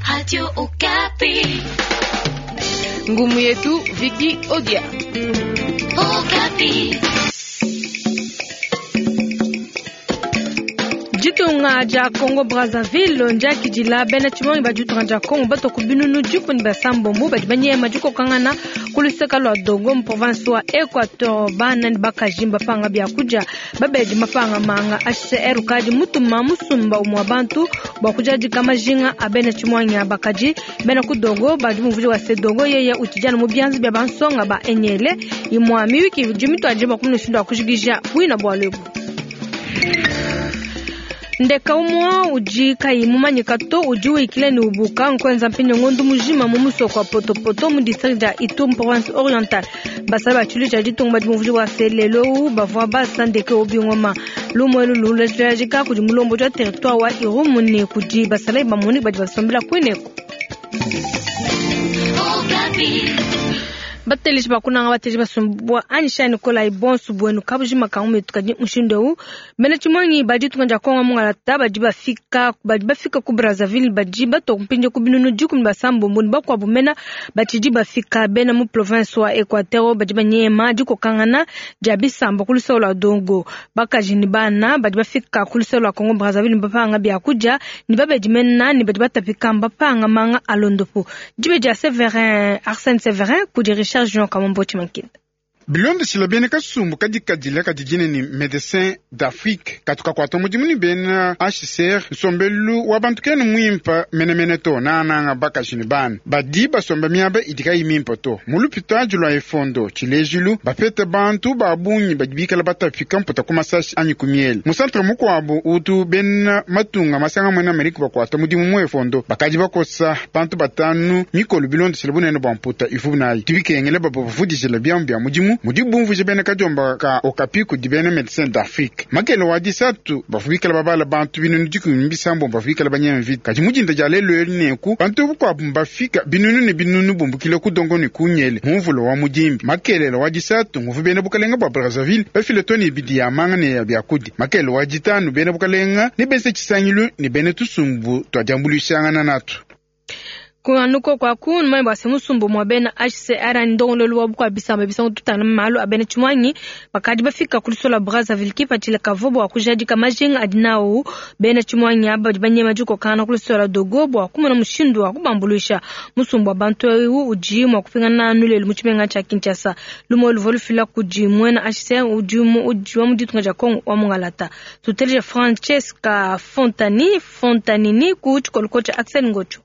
Radio Okapi. Ngumu yetu Viki Odia. Okapi. Ditunga dia Congo Brazzaville ndiakidila bena tshimonyi ba ditunga dia Congo batua ku binunu dikumi basambombo badi banyema dikokangana ku luseka lua Dogo mu province wa Equateur. Bana ne bakaji mbapanga biakudia, babedi mapanga manga. HCR ukadi mutuma musumba umue wa bantu bua kujadika majinga a bena tshimonyi aba. Kadi bena ku Dogo badi mumvuija wa se Dogo yeye utshidi anu mu bianza bia bansonga ba Enyele. Imua miyuki idi mituadije bua kumona mushindu wa kujikija buina bualu ebu. Ndeka umue udi kayi mumanyika to udi wikila ne ubuka nkuenza mpindieu ngondo mujima mu musoko wa Potopoto mu district dia Ituri mu province orientale. Basalayi ba tshiluilu tshia ditunga badi bumvuija bua se lelu eu bavua basa ndeke eu bingoma. Lumu elu lulejika kudi mulombodi wa territoire wa Irumu ne kudi basalayi ba MONUC badi basombela kuineku. Bateleji ba kunanga bateleji basumbua anyisha ne kolayi bonso buenu kabujima ka mumetu. Kadi mushindu eu bena tshimonyi ba ditunga dia Kongo mungalata badi bafika badi bafika ku Brazzaville badi batua mpindieu ku binunu dikumi basambombo ne bakuabu mena batshidi bafika. Bena mu province wa Equateur badi banyema dikokangana dia bisamba ku luseke lua Dogo. Bakaji ne bana badi bafika ku luseke lua Kongo Brazzaville mbapanga biakudia ne babedi mena ne badi batapika mbapanga manga a londopu. Dibe dia Severin Arsène Severin kudi Richard Junior Kamombo Tshimankinda. Bilondeshile bena kasumbu kadikadile kadi dina ne Medecins d'Afrique katu kakuata mudimu ne bena HCR, nsombelu wa bantu kena muimpe menemene to, nangananga bakaji ne bana badi basomba miaba idi kayi mimpe to. Mu lupitadi lua Efondo tshilejilu, bapete bantu ba bungi badi bikale batapika mputa ku masashi anyi ku miele. Mu santre mukuabu utu bena matunga masanga muena Amerika bakuata mudimu mu Efondo, bakadi bakosa bantu batanu mikolo bilondeshile bunene bua mputa ivuabu nayi. Bidi bikengela babavudijile biamu bia mudimu mudi bumvuija bena kadiomba ka Okapi kudi bena Medecins d'Afrique. Makele wa disatu bavua bikale babala bantu binunu dikumi ne bisambombo bavua bikale banyema mvita. Kadi mu dinda dia lelu elu nenku bantu bakuabu mbafika binunu ne binunu bumbukile ku Dongo ne ku Nyele mu mvula wa mudimbi. Makelela wa disatu nguvua bena bukalenga bua Brazzaville bafile tone ibidi ya manga ne ya biakudi. Makele wa ditanu bena bukalenga ne benze tshisangilu ne bena tusumbu tua diambuluishangana natu. Anu koko aku numanye bua se musumba mua bena HCR anyi ndongoluelu wa bukua bisamba bisangu tutangila malu a bena tshimuangi bakadi bafika ku luseke lua Brazzaville kipatshila kavua bua kujadika majinga adi nawu bena tshimuangi aba badi banyema dikokangana ku luseke lua Dogo bua kumona mushindu wa kubambuluisha. Musumba wa bantu eu udi mua kupingana anu lelu mu tshimenga tshia Kinshasa. Lumu luvua lufila kudi muena HCR udi wa mu ditunga dia Congo wa mungalata. Tuteleje Francesca Fontani Fontanini ku tshikoloko tshia Axel Ngocho.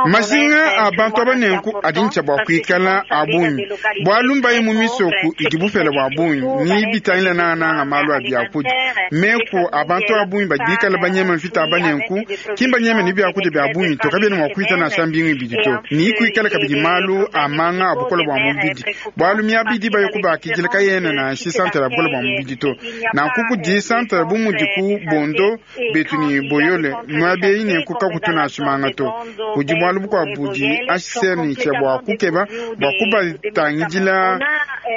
Majinga a bantu aba nenku adi ne tshia bua kuikala a bungi, bualu mbaye mu misoku idi bupele bua bungi ne bitangila nangananga malu a biakudia. Meku a bantu a bungi badi bikale banyema mvita aba nenku ki mbanyeme ne biakudia bia bungi to, kabiena mua kuita nansha mbingu ibidi to. Ne kuikale kabidi malu a manga a bukole bua mubidi, bualu miaba idi baye kubakidila kayena nansha santere ya bukole bua mubidi to. Nanku kudi santere bu mudi ku Bondo, Betu ne Boyole, miaba eyi nenku kakutu nansha manga to. Kudi bualu bukuabu budi HCR ne tshia bua kukeba bua kubatangidila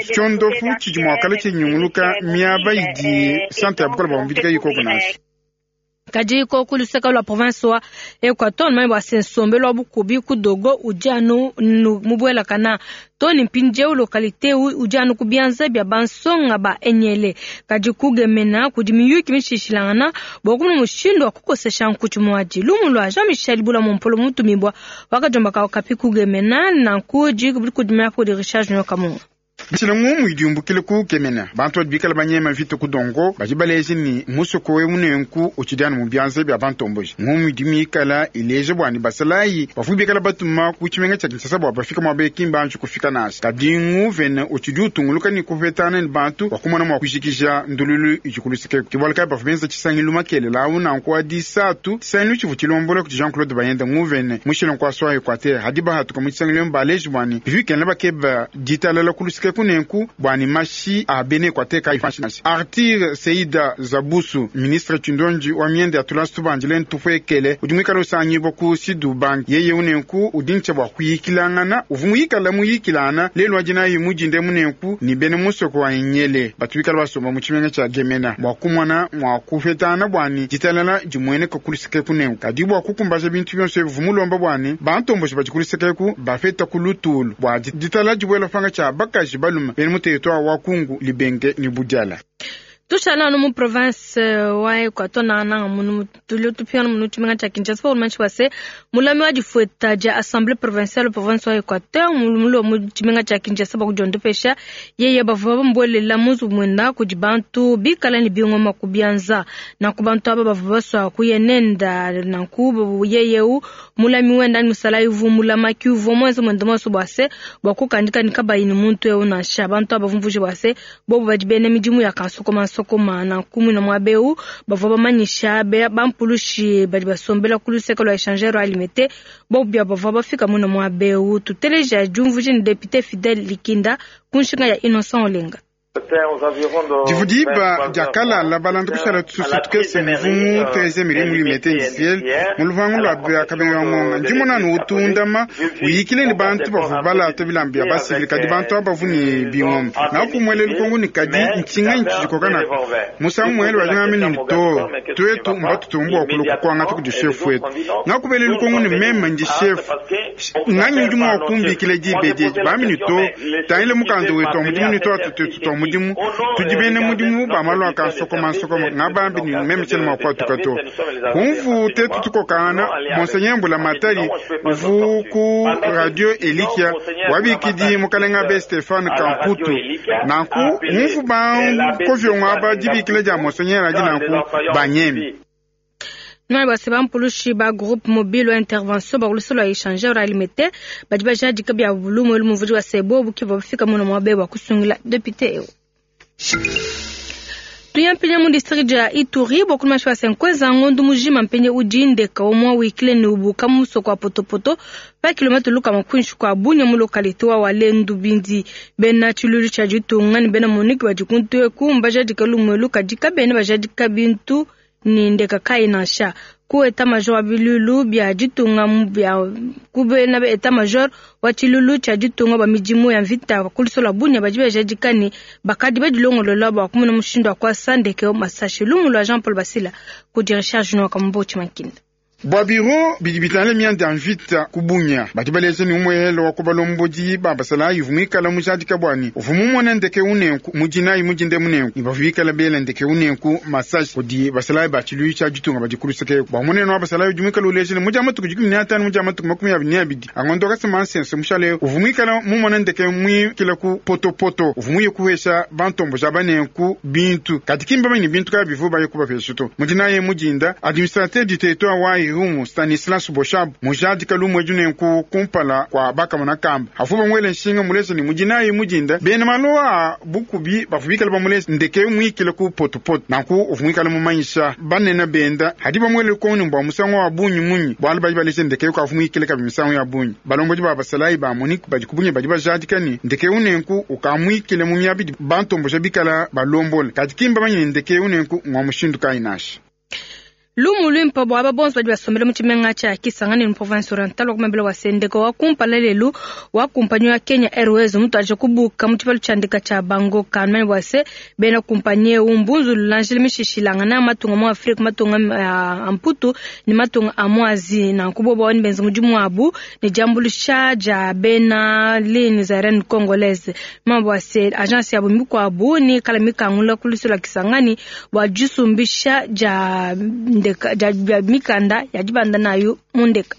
tshiondopu tshidi mua kala tshinyunguluka miaba idi santere ya bukole bua mubidi kayi koku nansha. Kadi koku luseke lua province wa Equateur numanye bua se nsombelu wa bukubi ku Dogo udi anu mubuelakana to ne mpindieu localite eu udi anu ku bianza bia bansonga ba Enyele. Kadi ku Gemena kudi miyuki mishilashilangana bua kumona mushindu wa kukosesha nkutshi muadi. Lumu lua Jean Michel Bula Mumpolo mutumibua wakadiomba ka Okapi ku Gemena nanku dikudimina kudi Richard Junior Kamunga. Bishila ngumu idi yumbukila ku Gemena, bantu badi bikale banyema mvita ku Dongo badi baleja ne musoko eu nenku utshidi anu mu bianza bia bantomboji. Ngumu idi mikala ileja bua ne basalayi bavua bikale batuma ku tshimenga tshia Kinshasa bua bafika muaba eu ki mbanji kufika nansha. Kadi nguvene utshidi utunguluka ne kupetangana ne bantu bua kumona mua kujikija ndululu idi ku luseke eku. Ke bualu kayi bavua benza tshisangilu makelela au nanku wa disatu, tshisangilu tshivua tshilombola kudi Jean-Claude Bayenda nguvene mushila nkuasa wa Equateur. Hadi bahatuka mu tshisangilu emu baleji bua ne bivua bikengela bakeba ditalala ku luseke. kuluseke kunenku bua ne mashi a bena Equateur kayi panshi nansha. Arthur Seida Zabusu, ministre tshindonji wa mienda ya tulasa tubandile ntupuekele udi muikale usangibua ku Sud-Ubangi, yeye unenku udi ntshia bua kuyikilangana uvua muyikala muyikilana lelu wa dinayi mudinde munenku ne bena musoko wa Enyele batu bikala basomba mu tshimenga tshia Gemena bua kumona mua kupetana bua ne ditalala dimueneka kuluseke kunenku. Kadi bua kukumbaja bintu bionso ebi uvua mulomba bua ne bantomboji badi kuluseke eku bapeta ku lutulu bua ditalala dibuela panga tshia bakaji balume bena mu territoire wa Kungu, Libenge ne Budiala. Tushala anu mu province wa Equateur nangananga munu tulio tupingana munu tshimenga tshia Kinshasa pa ulumanyishi bua se mulami wa difueta dia Assemblée provinciale province wa Equateur mulua mu tshimenga tshia Kinshasa bua kudiondopesha yeye bavua bamubuelela mu nzubu muenda kudi bantu bikala ne bingoma ku bianza. Nanku bantu aba bavua basua kuya nenda nanku yeye eu mulami wenda anyi musalayi uvua mulamaki uvua muenze muende muonso bua se bua kukandika ne kabayi ne muntu eu nansha. Bantu aba bumvuje bua se bobu badi bena midimu ya kansokoma nsokoma. Nanku muina muaba eu bavua bamanyisha bampulushi badi basombela ku luseke lua échangeur wa Limete bobu bia bavua bafika muina muaba eu. Tuteleja diumvuija ne député Fidèle Likinda ku nshinga ya Innocent Olenga. Divu diba diakalala balanda kushala tususu tukese mvumu 13 miri mu Limete industriel mu luvangu lua Kabeya Ngonga. Ndimona anu utundama uyikile ne bantu bavua balata bilamba bia basivile kadi bantu aba bavua ne bingoma. Ngakumwele lukongo ne kadi ntshinga ntshijikoka nako musangu muele wa ngame ne to tuetu mbatutumbu bua kuluka kuangata kudi chef wetu. Ngakubele lukongo ne meme ndi chef nganyi udi mua kumbikila diba edi bambi ne to tangile mukanda wetu wa mudimu ne tuatu tuetu twa mudimu tudi bena mudimu ba malu a kansokoma nsokoma ngabambi ne meme tshiena mua kuatuka to. Kumvu tetu tukokangana Monseigneur Mbula Matari uvu ku radio Elikia wabikidi mukalenga be Stefan Kamputu nanku umvu bankovyongo aba dibikila dia Monseigneur adi nanku banyemi. Nwa base bampulushi ba groupe mobile wa intervention ba kulusa lua échangeur Limete badi bajadika bia bulumu elu muvudi wa sebo buki bafika muno mwabe wa kusungila député eu. Tuyampinya mu district ya Ituri bokulu mashi wa senkweza ngondu mujima mpenye udi ndeka omwa wikile ne ubuka mu musoko wa potopoto pa kilomètre luka makunshi kwa Bunia mu localité wa Walendu Bindi. Bena tshilulu tshia ditunga ne bena Monique badi kuntu eku mbajadika lumwe lukadika bena bajadika bintu ni ndeka kai nansha. Ku état major wa bilulu bia ditunga bia ku bena état major wa tshilulu tshia ditunga ba midimu ya mvita kuluso lua Bunia badi bajadika ne bakadi badilongolola bua kumona mushindu wa kuasa ndeke masashi. Lumu lua Jean Paul Basila kudi Richard Junior Kambo Chimankinda. Bua biro bidi bitangila mianda ya mvita ku Bunia badi baleja ne umuehelo wa kubalombodi ba basalayi uvua muikala mujadika bua ne uvua mumona ndeke unenku mudinayi mudinde munenku ne bavua bikala bela ndeke unenku masashi kudi basalayi ba tshiluilu tshia ditunga badi kuluseke. Bua munene wa basalayi udi muikala uleja ne mudia matuku 15 mudia matuku 22 angondo kasema nsense mushale uvua muikala mumona ndeke muikila ku potopoto uvua muye kuhesha bantombo ja banenku bintu kadi kimba bamanye bintu kaya bivua baye kubapesha to. Mudinayi mudinda administrateur du territoire wa Irumu Stanislas Boshab mujadika lumwe junenku kumpala kwa bakamona kamba afu bamwele nshinga mulesa ni mudinayi mudinda bena maloa bukubi bavubikala bamulesa ndeke mwikile ku potopoto nanku uvumwikala mumanyisha banene benda hadi bamwele koni mbwa musango wa bunyi munyi bwalu badi balesa ndeke ukavumwikile kabi misango ya bunyi balombodi ba basalayi ba Monique badi kubunye badi bajadika ni ndeke unenku ukamwikile mu myabidi bantombosha bikala balombola kadi kimba bamanye ndeke unenku ngwa mushindu kayi nasha. Lumu lwimpa bua aba bonso badi basombele mu tshimenga tshia Kisangani mu province orientale wa kumambila wa sendeka wa kumpala lelu wa kumpanyi wa Kenya Airways mutu aje kubuka mu tshibalu tshia ndeka tshia Bangoka numanye bua se bena kumpanyi eu mbunzu lulanjile mishishilangana matunga mu Afrika matunga a Mputu ne matunga a mu Asie nanku bobo bawani benza mudimu wabu ne diambuluisha dia bena lignes aériennes congolaise numanye bua se agence yabo mikuabu ni kala mikangula ku lusu lua Kisangani bua disumbisha dia ndeka dia mikanda ya dibanda nayo mu ndeka.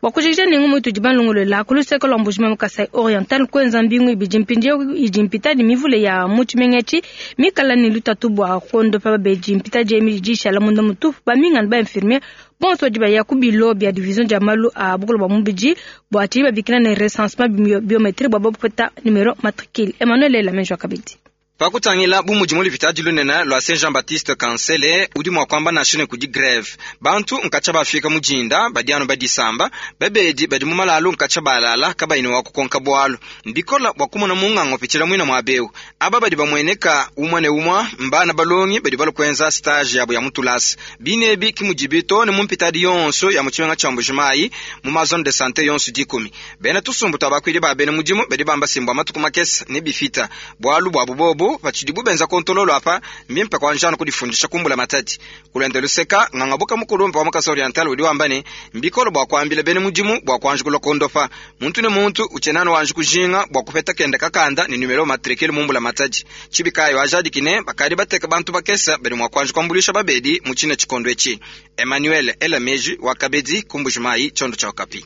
Bua kujikija nengu mutu dibalongolola ku luseke lua Mbuji-Mayi mu Kasai Oriental kuenza mbingu ibidi mpindieu idi mpitadi mivule ya mu tshimenga etshi mikala ne lutatu bua kuondopa babedi mpitadi emi idi ishala munda mutupu bamingana ba infirmier bonso badi baya ku bilo bia division dia malu a bukulu bua mubidi bua tshidi babikila ne recensement biométrique bua bapeta numero matricule. Emmanuel Ela Menjo kabidi. Pa kutangila bu mudi mu lupitadi lunene lua Saint Jean Baptiste Kansele, udi mua kuamba nansha ne kudi greve. Bantu nkatshia bafika mu dinda badi anu badisamba, babedi badi mu malalu nkatshia balala kabayi ne wa kukonka bualu. Mbikola bua kumona munganga upitshila muina muaba eu. Aba badi bamueneka umue ne umue mbana balongi badi balua kuenza stage yabu ya mu tulasa. Bine ebi ki mudibi too ne mu mpitadi yonso ya mu tshimenga tshia Mbuji-Mayi mu ma zone de sante yonso dikumi. Bena tusumbu tua bakuidi ba bena mudimu badi bamba se mbua matuku makese ne bifita bualu buabu bobu patshidibu benza kontololo apa, mbimpe kuanji anu kudifundisha ku mbulamatadi. Ku luende luseka, nganga-buka mukulumpe wa mu Kasai Oriental udi wamba ne, mbikole bua kuambila bena mudimu bua kuanji kulua kuondopa. Muntu ne muntu utshiena anu wanji kujinga bua kupeta kende kakanda ne numero matricule mu mbulamatadi. Tshibi kayi wajadiki ne, bakadi bateka bantu bakese badi mua kuanji kuambuluisha babedi mu tshine tshikondo etshi. Emmanuel Ela Meji wa Kabedi ku Mbuji-Mayi, tshiondo tshia Okapi.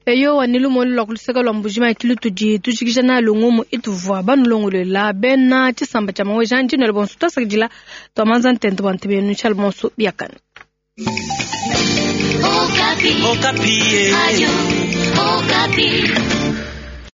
Eyowa, ne lumonu lua ku luseke lua Mbuji-Mayi ki lutudi tujikija nalu ngumu ituvua banulongoluela. Bena tshisamba tshia Maweja-Nandila bonso tuasakidila tua manza ntente bua ntebe yenu tshialu bonso biakane. Okapi. Okapi. Ayo, Okapi.